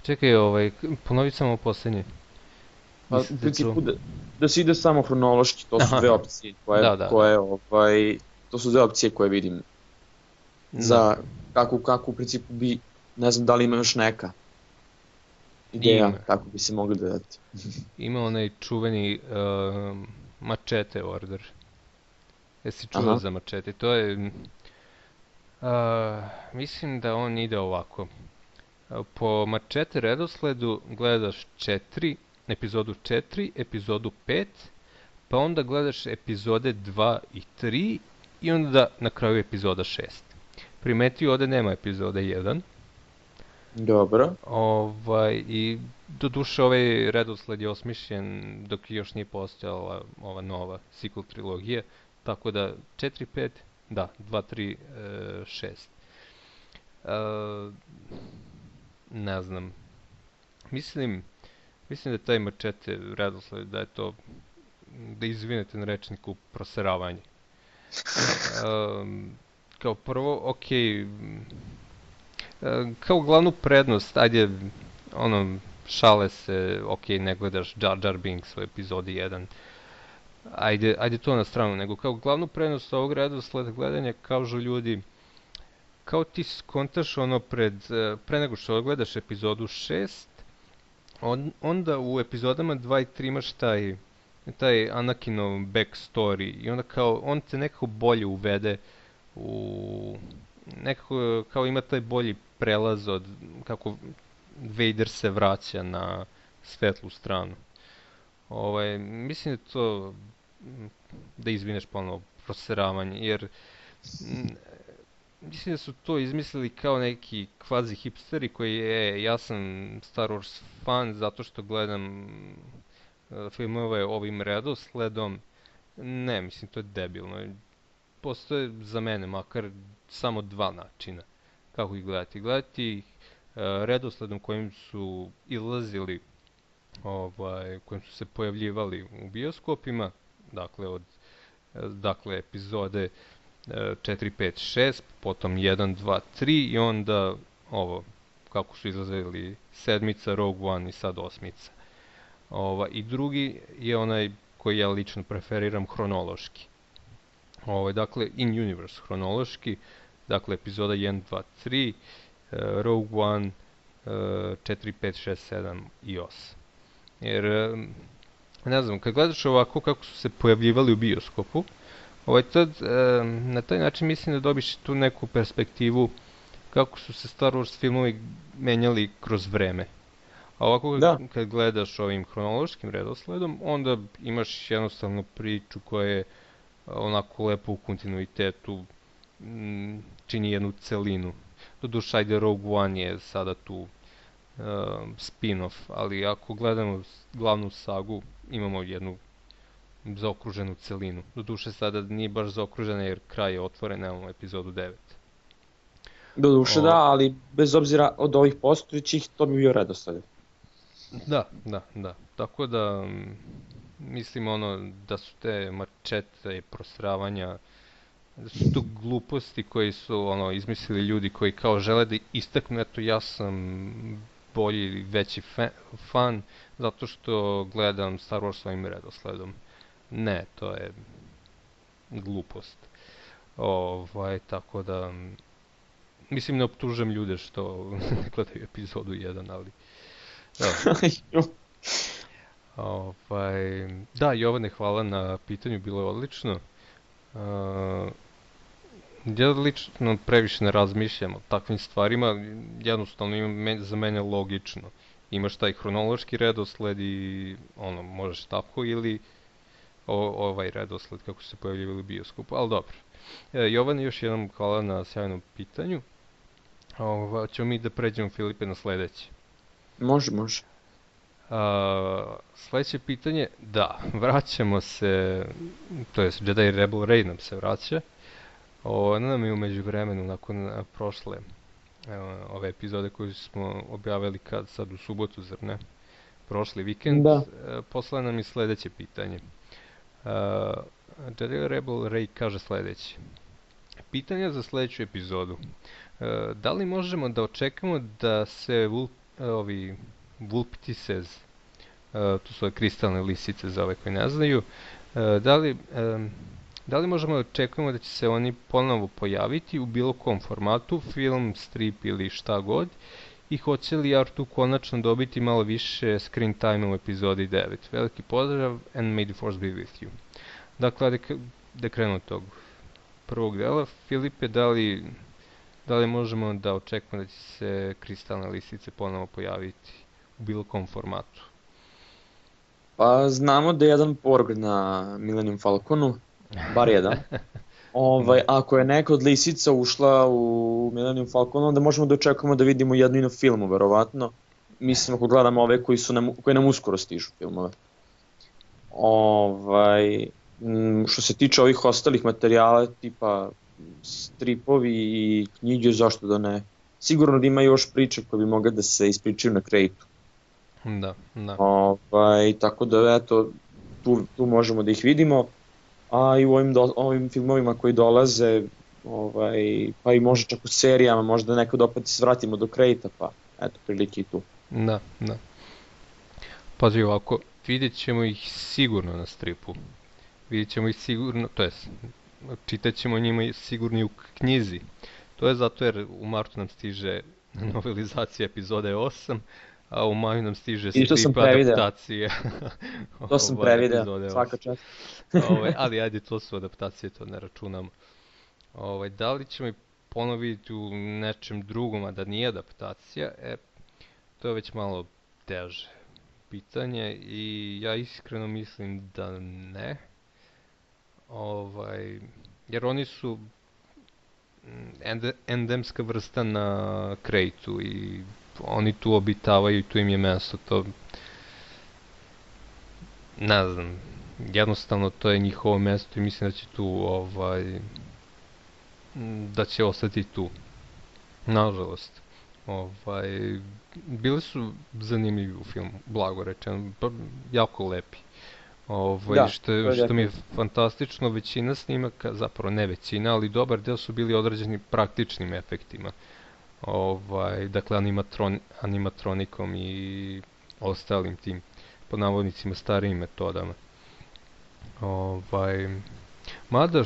Čekaj, ponovit samo posljednje. U principu da se ide samo hronološki, to su dve opcije to su dve opcije koje vidim za kako u principu bi, ne znam da li ima još neka ideja kako bi se mogli dodati. Ima onaj čuveni Machete Order. Jesi čuo za Machete? To je, mislim da on ide ovako. Po Machete redosledu gledaš epizodu 4, epizodu 5, pa onda gledaš epizode 2 i 3 i onda na kraju epizoda 6. Primetio ovdje nema epizode 1. Dobro. I doduše ovaj redosled je osmišljen dok još nije postojala ova nova sequel trilogija, tako da 4, 5, da, 2, 3, 6. Ne znam. Mislim da je taj Machete redosled, da je to, da izvinete na rečniku, proseravanje. Kao prvo, kao glavnu prednost, ajde, šale se, ne gledaš Jar Jar Binks u epizodi 1. Ajde to na stranu, nego kao glavnu prednost ovog redosleda gledanja kažu ljudi, kao ti skontaš pre nego što gledaš epizodu 6, onda u epizodama 2 i 3 imaš taj Anakinov backstory i onda kao on te nekako bolje uvede nekako kao ima taj bolji prelaz od kako Vader se vraća na svetlu stranu. Mislim da to, da izvineš ponovno, proseravanje, jer mislim da su to izmislili kao neki kvazi hipsteri koji ja sam Star Wars fan zato što gledam filmove ovim redosledom. Ne, mislim to je debilno. Postoje za mene makar samo dva načina kako ih gledati. Gledati ih redosledom kojim su izlazili, kojim su se pojavljivali u bioskopima, dakle epizode 4, 5, 6, potom 1, 2, 3 i onda ovo, kako su izlazili 7, Rogue One i sad 8. I drugi je onaj koji ja lično preferiram hronološki. Dakle, in universe hronološki, dakle epizoda 1, 2, 3, Rogue One, 4, 5, 6, 7 i 8. Jer, ne znam, kad gledaš ovako kako su se pojavljivali u bioskopu, na taj način mislim da dobiš tu neku perspektivu kako su se Star Wars filmovi menjali kroz vreme. A ovako kad gledaš ovim hronološkim redosledom, onda imaš jednostavno priču koja je onako lepo u kontinuitetu, čini jednu celinu. Doduše, ajde, Rogue One je sada tu spin-off, ali ako gledamo glavnu sagu, imamo jednu zaokruženu celinu. Doduše, sada nije baš zaokružena jer kraj je otvoren, nemamo epizodu 9. Doduše da, ali bez obzira od ovih postojećih, to bi bio redosled. Da. Tako da, mislim da su te mačete i prosravanja, da su to gluposti koji su izmislili ljudi koji kao žele da istaknu, eto ja sam bolji, veći fan, zato što gledam Star Wars svojim redosledom. Ne, to je glupost. Tako da, mislim ne optužujem ljude što ne gledaju epizodu 1, ali... Da, Jovane, hvala na pitanju, bilo je odlično. Ja lično previše ne razmišljam o takvim stvarima, jednostavno za mene logično. Imaš taj hronološki redosled i možeš tako ili ovaj redosled kako su se pojavljivali u bioskopu, ali dobro. Jovan, još jednom hvala na sjajnom pitanju. Ćemo mi da pređemo, Filipe, na sledeće. Može. Sledeće pitanje, da, vraćamo se, to je Jedi Rebel Ray nam se vraća. Ona nam je u međuvremenu, nakon prošle ove epizode koju smo objavili sad u subotu, zar ne? Prošli vikend, poslala nam je sledeće pitanje. Jedi Rebel Ray kaže sledeće. Pitanja za sledeću epizodu. Da li možemo da očekamo da se Vulptices, tu su kristalne lisice za ove koji ne znaju, da li možemo da očekujemo da će se oni ponovo pojaviti u bilo kom formatu, film, strip ili šta god, i hoće li R2 konačno dobiti malo više screen time u epizodi 9? Veliki pozdrav and may the force be with you. Dakle, da krenu od tog prvog dela, Filipe, da li možemo da očekujemo da će se kristalne lisice ponovo pojaviti u bilo kom formatu? Pa znamo da je jedan porg na Millennium Falconu, bar jedan. Ako je neka od lisica ušla u Millennium Falcon, onda možemo da očekujemo da vidimo jednu i na filmu, verovatno. Mislim, ako gledamo ove koji nam uskoro stižu filmove. Što se tiče ovih ostalih materijala, tipa stripovi i knjige, zašto da ne? Sigurno da ima još priče koje bi mogle da se ispričaju na Kraytu. Da. Tako da, eto, tu možemo da ih vidimo. A i u ovim filmovima koji dolaze, pa i možda čak u serijama, možda nekad opet se vratimo do Krayta, pa eto, prilike i tu. Da. Pazi ovako, vidjet ćemo ih sigurno na stripu. Vidjet ćemo ih sigurno, to jest, čitat ćemo njima sigurno i u knjizi. To je zato jer u martu nam stiže novelizacija epizode 8, a u maju nam stiže strip adaptacije. To sam prevideo, svaka čast. Ali ajde, to su adaptacije, to ne računamo. Da li ćemo ih ponovo vidjeti u nečem drugom, a da nije adaptacija, to je već malo teže pitanje i ja iskreno mislim da ne. Jer oni su endemska vrsta na Kraytu i oni tu obitavaju i tu im je mesto, to ne znam, jednostavno to je njihovo mesto i mislim da će tu da će ostati tu, nažalost. Bili su zanimljivi u filmu, blago rečeno, jako lepi. Što mi je fantastično, većina snimaka, zapravo ne većina, ali dobar deo su bili određeni praktičnim efektima. Dakle animatronikom i ostalim tim pod navodnicima starijim metodama. Mada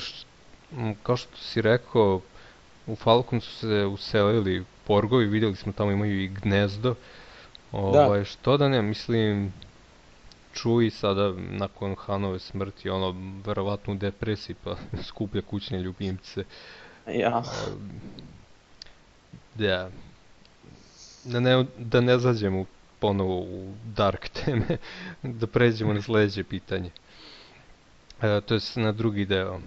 kao što si rekao, u Falcon su se uselili porgovi, vidjeli smo tamo imaju i gnezdo. Što da ne, mislim, Chewie sada nakon Hanove smrti, verovatno u depresiji pa skuplja kućne ljubimce. Ja. Da ne zađemo ponovo u dark teme, da pređemo na sledeće pitanje. To je na drugi deo.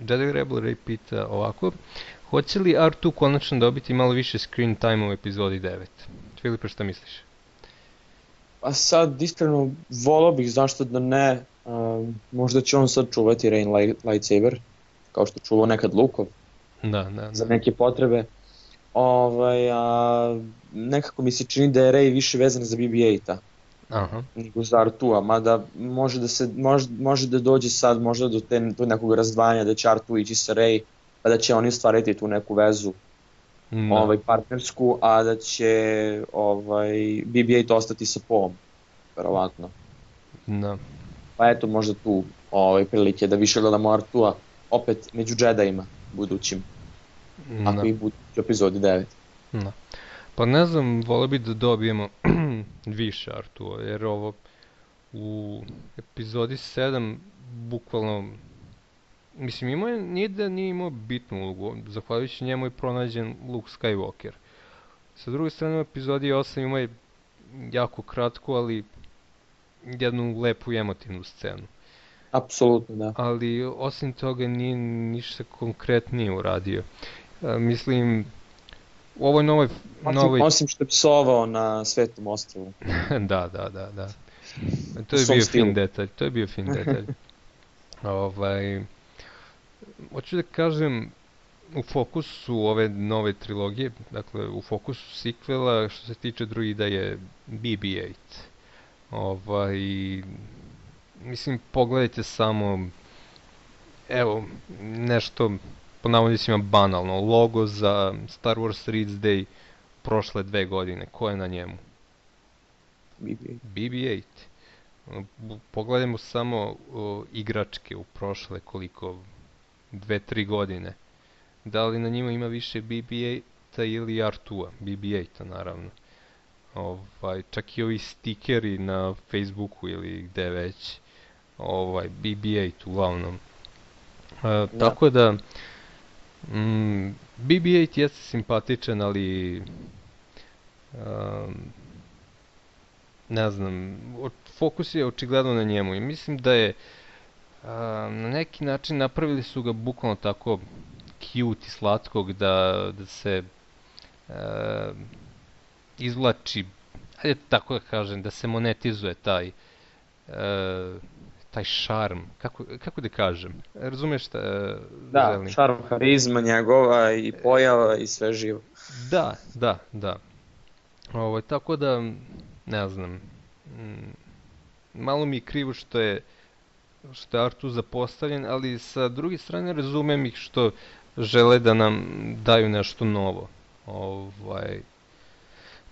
Jedi Rebel Ray pita ovako: hoće li R2 konačno dobiti malo više screen time u epizodi 9? Filipe, šta misliš? Pa sad, iskreno, volao bih, zašto da ne, možda će on sad čuvati Rain lightsaber, kao što čuvao nekad Lukov. Da. Za neke potrebe. Nekako mi se čini da je Rey više vezan za BB-8 nego za R2-a, mada može da dođe sad možda do nekog razdvajanja, da će R2 ići sa Rey, pa da će oni ostvariti tu neku vezu partnersku, a da će BB-8 ostati sa Poe-om, verovatno. Pa eto, možda tu prilike da više gledamo R2-a opet među Jedi-ima budućim, ako ih budu u epizodi 9. Pa ne znam, volio bi da dobijemo više R2-a, jer ovo u epizodi 7 bukvalno, mislim nije da nije imao bitnu ulogu, zahvaljujući njemu je pronađen Luke Skywalker. Sa druge strane u epizodi 8 ima je jako kratko, ali jednu lepu i emotivnu scenu. Apsolutno, da. Ali osim toga nije ništa konkretnije uradio. Mislim, u ovoj novoj... Osim što je psovao na Svetom ostrvu. Da. To je bio fin detalj. Hoću da kažem, u fokusu ove nove trilogije, dakle u fokusu sequela što se tiče droida je BB-8. Mislim, pogledajte samo, evo, nešto po navodnicima banalno, logo za Star Wars Reads Day prošle 2 godine, ko je na njemu? BB-8. Pogledajmo samo igračke u prošle koliko, 2-3 godine. Da li na njima ima više BB-8-a ili R2-a? BB-8-a naravno. Čak i ovi stikeri na Facebooku ili gde već. BB-8 uglavnom. Tako da BB-8 jeste simpatičan, ali ne znam, fokus je očigledno na njemu i mislim da je na neki način napravili su ga bukvalno tako cute i slatkog da se izvlači, ajde tako da kažem, da se monetizuje taj šarm, kako da kažem, razumeš šta želim? Da, šarm, harizma njegova i pojava i sve živo. Da. Tako da, ne znam, malo mi je krivo što je R2 zapostavljen, ali sa druge strane razumem ih što žele da nam daju nešto novo.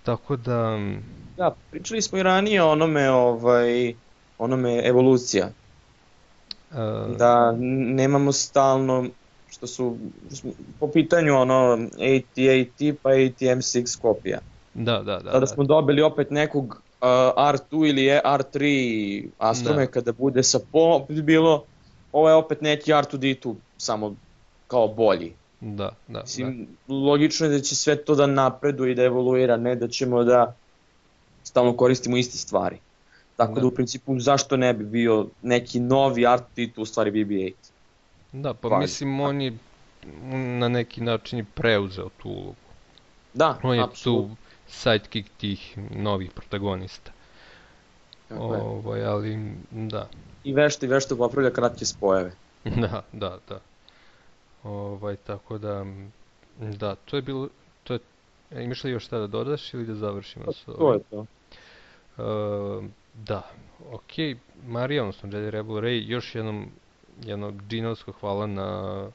Tako da... Da, pričali smo i ranije o onome evolucija. Da nemamo stalno, što su po pitanju AT-AT pa AT-M6 kopija. Da. Sada smo dobili opet nekog R2 ili R3 astromeka da bude sa opet bilo, ovo je opet neki R2D2, samo kao bolji. Da. Mislim, logično je da će sve to da napreduje i da evoluira, ne da ćemo da stalno koristimo iste stvari. Tako da u principu zašto ne bi bio neki novi R2D2 u stvari BB-8? Da, pa mislim on je na neki način preuzeo tu ulogu. Da, on je tu sidekick tih novih protagonista. Ali, da. I vešto popravlja kratke spojeve. Da. Tako da, to je bilo, imaš li još šta da dodaš ili da završimo s ovim? To je to. Da, okej, Marija, odnosno Jedi Rebel Ray, još jedno džinovsko hvala na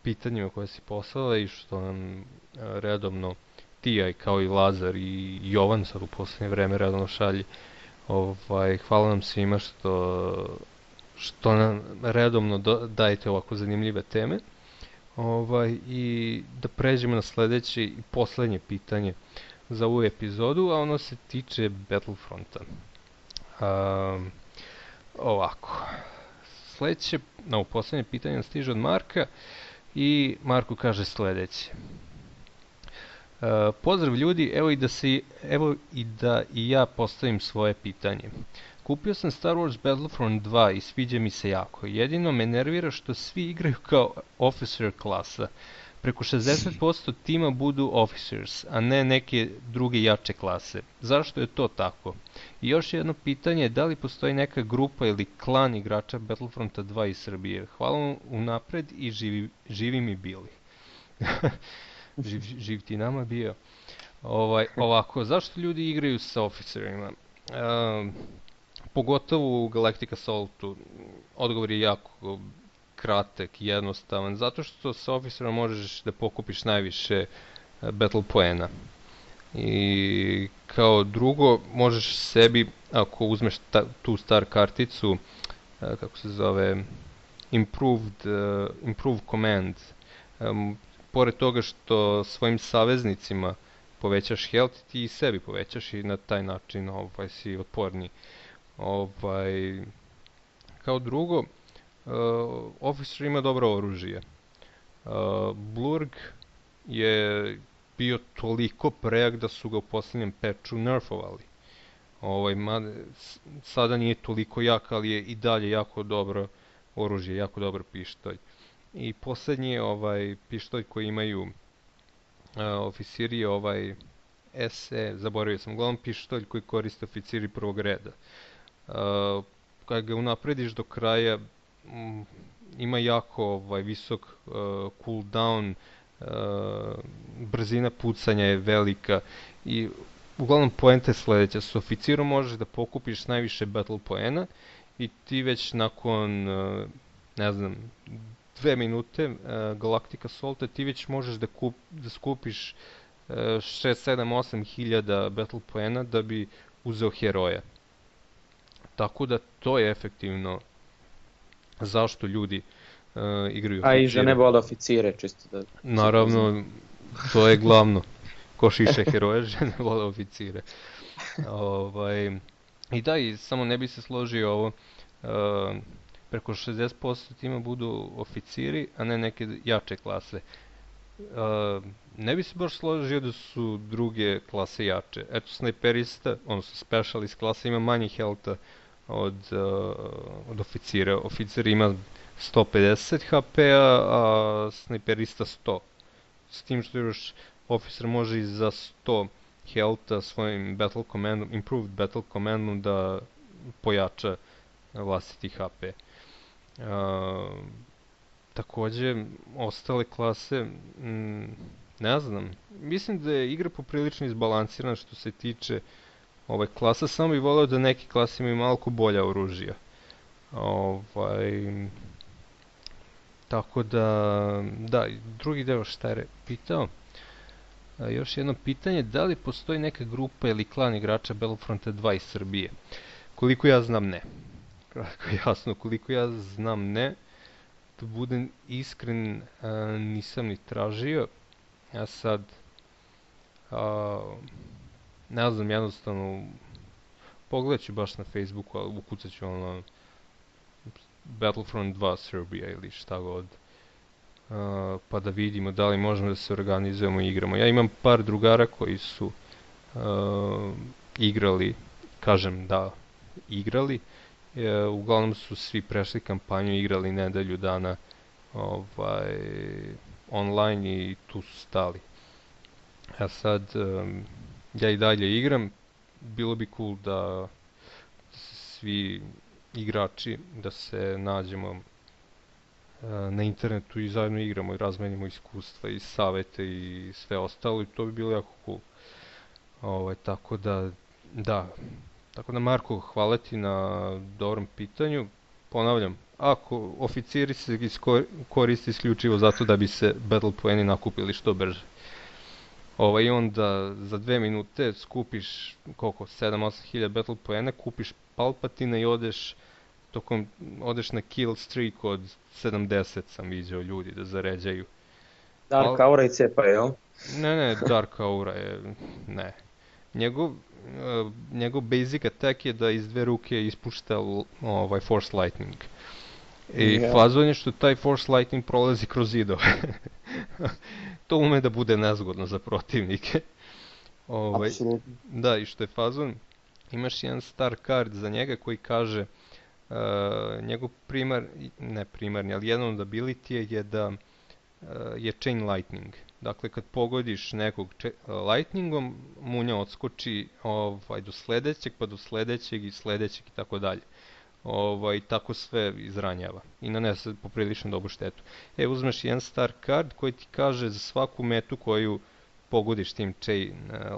pitanjima koje si poslala i što nam redovno ti, kao i Lazar i Jovan sad u poslednje vreme redovno šalji. Hvala nam svima što nam redovno dajete ovako zanimljive teme. I da pređemo na sledeće i poslednje pitanje za ovu epizodu, a ono se tiče Battlefronta. Ovako, sledeće, poslednje pitanje stiže od Marka i Marko kaže sledeće. Pozdrav ljudi, evo i da i ja postavim svoje pitanje. Kupio sam Star Wars Battlefront 2 i sviđa mi se jako. Jedino me nervira što svi igraju kao officer klasa. Preko 60% tima budu officers, a ne neke druge jače klase. Zašto je to tako? I još jedno pitanje, da li postoji neka grupa ili klan igrača Battlefronta 2 iz Srbije? Hvala vam unapred i živi mi bili. Živ ti nama bio. Ovako, zašto ljudi igraju sa officerima? Pogotovo u Galactic Assaultu, odgovor je jako kratak i jednostavan, zato što sa officerom možeš da pokupiš najviše battle poena. I kao drugo, možeš sebi, ako uzmeš tu star karticu, kako se zove, Improve Command, pored toga što svojim saveznicima povećaš health, ti i sebi povećaš i na taj način si otporniji. Kao drugo, Officer ima dobro oružje. Blurg je bio toliko prejak da su ga u posljednjem patchu nerfovali. Sada nije toliko jak, ali je i dalje jako dobro oružje, jako dobar pištolj. I posljednji je pištolj koji imaju oficiri je SE, zaboravio sam, uglavnom pištolj koji koriste oficiri prvog reda. Kad ga unaprediš do kraja, ima jako visok cooldown, brzina pucanja je velika i uglavnom poenta je sljedeća. S oficirom možeš da pokupiš najviše battle poena i ti već nakon, ne znam, 2 minute Galactic Assaulta ti već možeš da skupiš 6, 7, 8 hiljada battle poena da bi uzeo heroja. Tako da to je efektivno zašto ljudi igraju oficire. A i žene vole oficire, čisto da... Naravno, to je glavno. Ko šiše heroje, žene vole oficire. I da, i samo ne bi se složio ovo, preko 60% tima budu oficiri, a ne neke jače klase. Ne bi se baš složio da su druge klase jače. Eto, snajperista, odnosno specialist klasa ima manje healtha od oficira. Oficir ima 150 HP-a, a snajperista 100. S tim što još officer može i za 100 healtha svojim battle commandom, improved battle commandom da pojača vlastiti HP. Također, ostale klase, ne znam, mislim da je igra poprilično izbalansirana što se tiče klasa, samo bih voleo da neke klase imaju malo bolja oružja. Tako da, drugi deo šta je pitao. Još jedno pitanje, da li postoji neka grupa ili klan igrača Battlefronta 2 iz Srbije? Koliko ja znam, ne. Kratko i jasno, koliko ja znam, ne. Da budem iskren, nisam ni tražio. Ja sad, ne znam, jednostavno, pogledat ću baš na Facebooku, ali ukucat ću Battlefront 2 Serbia ili šta god. Pa da vidimo da li možemo da se organizujemo i igramo. Ja imam par drugara koji su igrali, kažem da, igrali. Uglavnom su svi prešli kampanju i igrali nedelju dana online i tu su stali. A sad, ja i dalje igram, bilo bi cool da svi igrači, da se nađemo na internetu i zajedno igramo i razmenimo iskustva i savete i sve ostalo i to bi bilo jako cool. Tako da Marko, hvala ti na dobrom pitanju. Ponavljam, ako oficiri se koriste isključivo zato da bi se battle poeni nakupili što brže. I onda za 2 minute skupiš 7-8 hiljada battle poena, kupiš Palpatina i odeš na kill streak od 70, sam vidio ljudi da zaređaju. Dark Aura i cepa, jel? Ne, Dark Aura je, ne. Njegov basic attack je da iz 2 ruke ispušta Force Lightning. I fazon je što taj Force Lightning prolazi kroz zidove. To ume da bude nezgodno za protivnike. Apsolutno. Da, i što je fazon, imaš jedan star card za njega koji kaže njegov primarni, ali jedan od ability je da je chain lightning. Dakle, kad pogodiš nekog lightningom, munja odskoči do sljedećeg, pa do sljedećeg i sljedećeg i tako dalje. Tako sve izranjava i nanese poprilično dobru štetu. Uzmeš jedan star card koji ti kaže za svaku metu koju pogodiš tim chain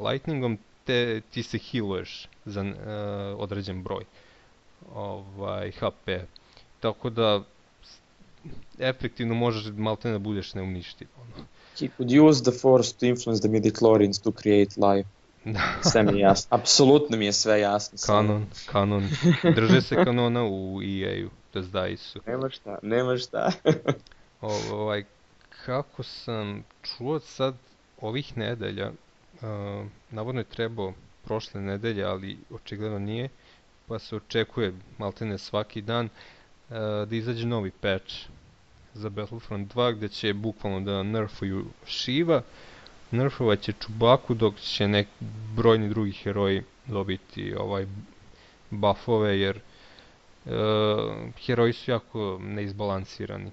lightningom, ti se healuješ za određen broj HP. Tako da efektivno možeš malte da budeš neuništiv. He could use the force to influence the midichlorians to create life. Sve mi je jasno, apsolutno mi je sve jasno. Kanon. Drže se kanona u EA-u, to zdaji su. Nema šta. Kako sam čuo sad ovih nedelja, navodno je trebao prošle nedelje, ali očigledno nije, pa se očekuje maltene svaki dan, da izađe novi patch za Battlefront 2 gdje će bukvalno da nerfuju Shiva, nerfovat će Chewbaccu, dok će brojni drugi heroji dobiti buffove, jer heroji su jako neizbalansirani.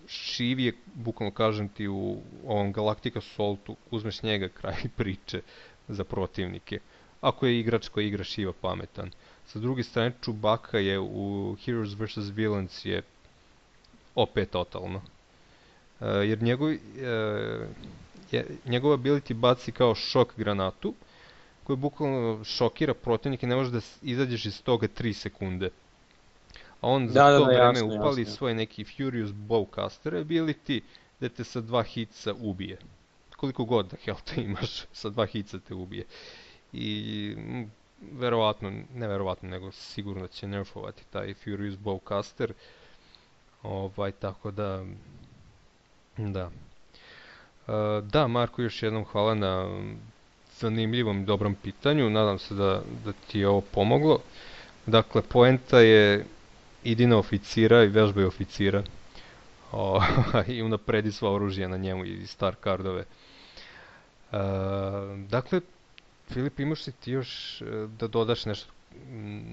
Shiv je, bukvalno kažem ti, u ovom Galactic Assaultu, uzmeš njega kraj priče za protivnike, ako je igrač koji igra Shiva pametan. Sa druge strane, Chewbacca je u Heroes vs. Villains je opet totalno. Jer njegova ability baci kao šok granatu, koji bukvalno šokira protivnike, ne može da izađeš iz toga 3 sekunde. A on za to vreme upali svoj neki Furious Bowcaster ability, da te sa 2 hitsa ubije. Koliko god da health imaš, sa 2 hitsa te ubije. I nego sigurno će nerfovati taj Furious Bowcaster. Tako da... Da, Marko, još jednom hvala na zanimljivom i dobrom pitanju. Nadam se da ti je ovo pomoglo. Dakle, poenta je idi na oficira i vežbaj oficira. I unapredi sva oružja na njemu i star cardove. Dakle, Filip, imaš li ti još da dodaš nešto,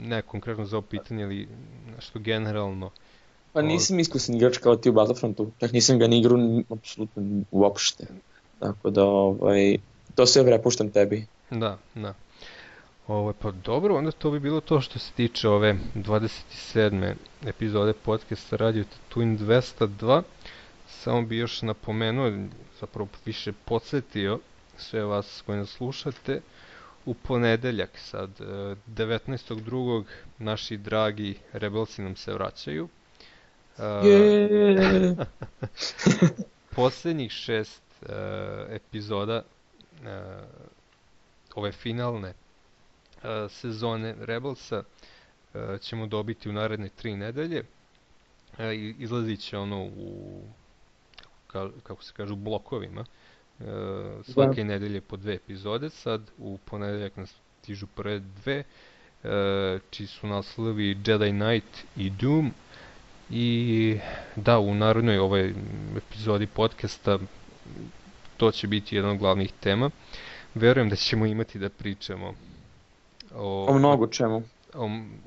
ne konkretno za ovo pitanje ili nešto generalno? Pa nisam iskusan igrač kao ti u Battlefrontu, tak nisam ga ni igrao apsolutno uopšte. Tako da, to sve prepuštam tebi. Da. Pa dobro, onda to bi bilo to što se tiče ove 27. epizode podcasta Radio Tatooine 202. Samo bi još napomenuo, zapravo više podsjetio sve vas koji nas slušate, u ponedeljak sad, 19.2. naši dragi Rebelsi nam se vraćaju. Posljednjih 6 epizoda ove finalne sezone Rebelsa ćemo dobiti u naredne 3 nedelje. Izlazit će u, kako se kaže, u blokovima. Svake nedelje po 2 epizode. Sad u ponedeljak nas stižu prve 2, čiji su naslovi Jedi Knight i Doom. I da, u narednoj ovoj epizodi podcasta to će biti jedna od glavnih tema. Verujem da ćemo imati da pričamo o mnogo čemu.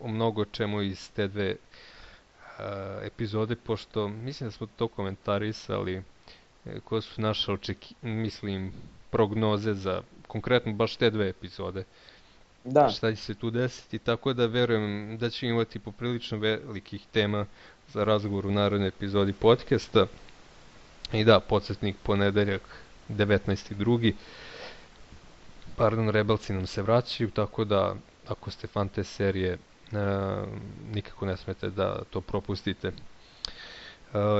O mnogo čemu iz te 2 epizode, pošto mislim da smo to komentarisali, koje su naše prognoze za konkretno baš te 2 epizode. Da. Šta će se tu desiti, tako da verujem da ćemo imati poprilično velikih tema za razgovor u narednoj epizodi podcasta. I da, podsjetnik, ponedeljak 19.2. Rebelsi nam se vraćaju, tako da ako ste fan te serije, nikako ne smete da to propustite.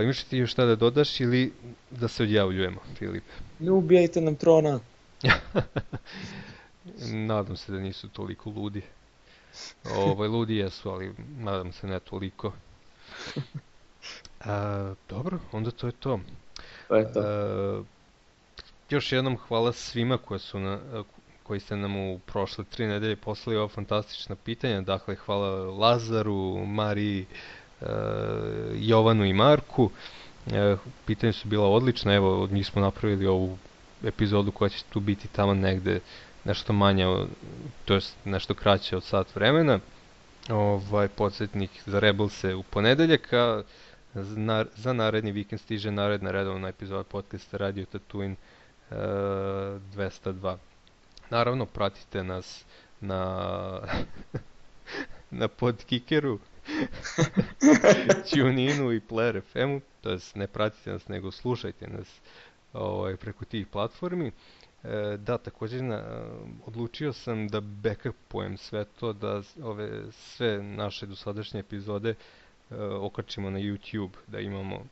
Imaš ti još šta da dodaš ili da se odjavljujemo, Filip? Ne ubijajte nam trona. Nadam se da nisu toliko ludi. Ludi jesu, ali nadam se ne toliko. Dobro, onda to je to. Još jednom hvala svima koji ste nam u prošle 3 nedelje poslali ova fantastična pitanja. Dakle, hvala Lazaru, Mariji, Jovanu i Marku. Pitanja su bila odlična, evo od njih smo napravili ovu epizodu koja će tu biti tamo negde nešto manje, to jest nešto kraće od sat vremena. Podsjetnik za Rebelse u ponedeljak, a za naredni vikend stiže naredna redovna epizoda podcasta Radio Tatooine 202. Naravno, pratite nas na Podkickeru, TuneInu i Player FM-u, to jest ne pratite nas, nego slušajte nas preko tih platformi. Da, također odlučio sam da backupujem sve to, da sve naše dosadašnje epizode okačimo na YouTube, da imamo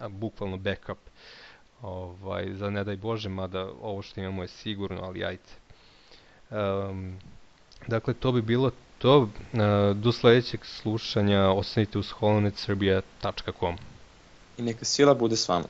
bukvalno backup. Za ne daj Bože, mada ovo što imamo je sigurno, ali ajte. Dakle, to bi bilo to. Do sljedećeg slušanja ostanite uz holonetsrbija.com. I neka sila bude s vama.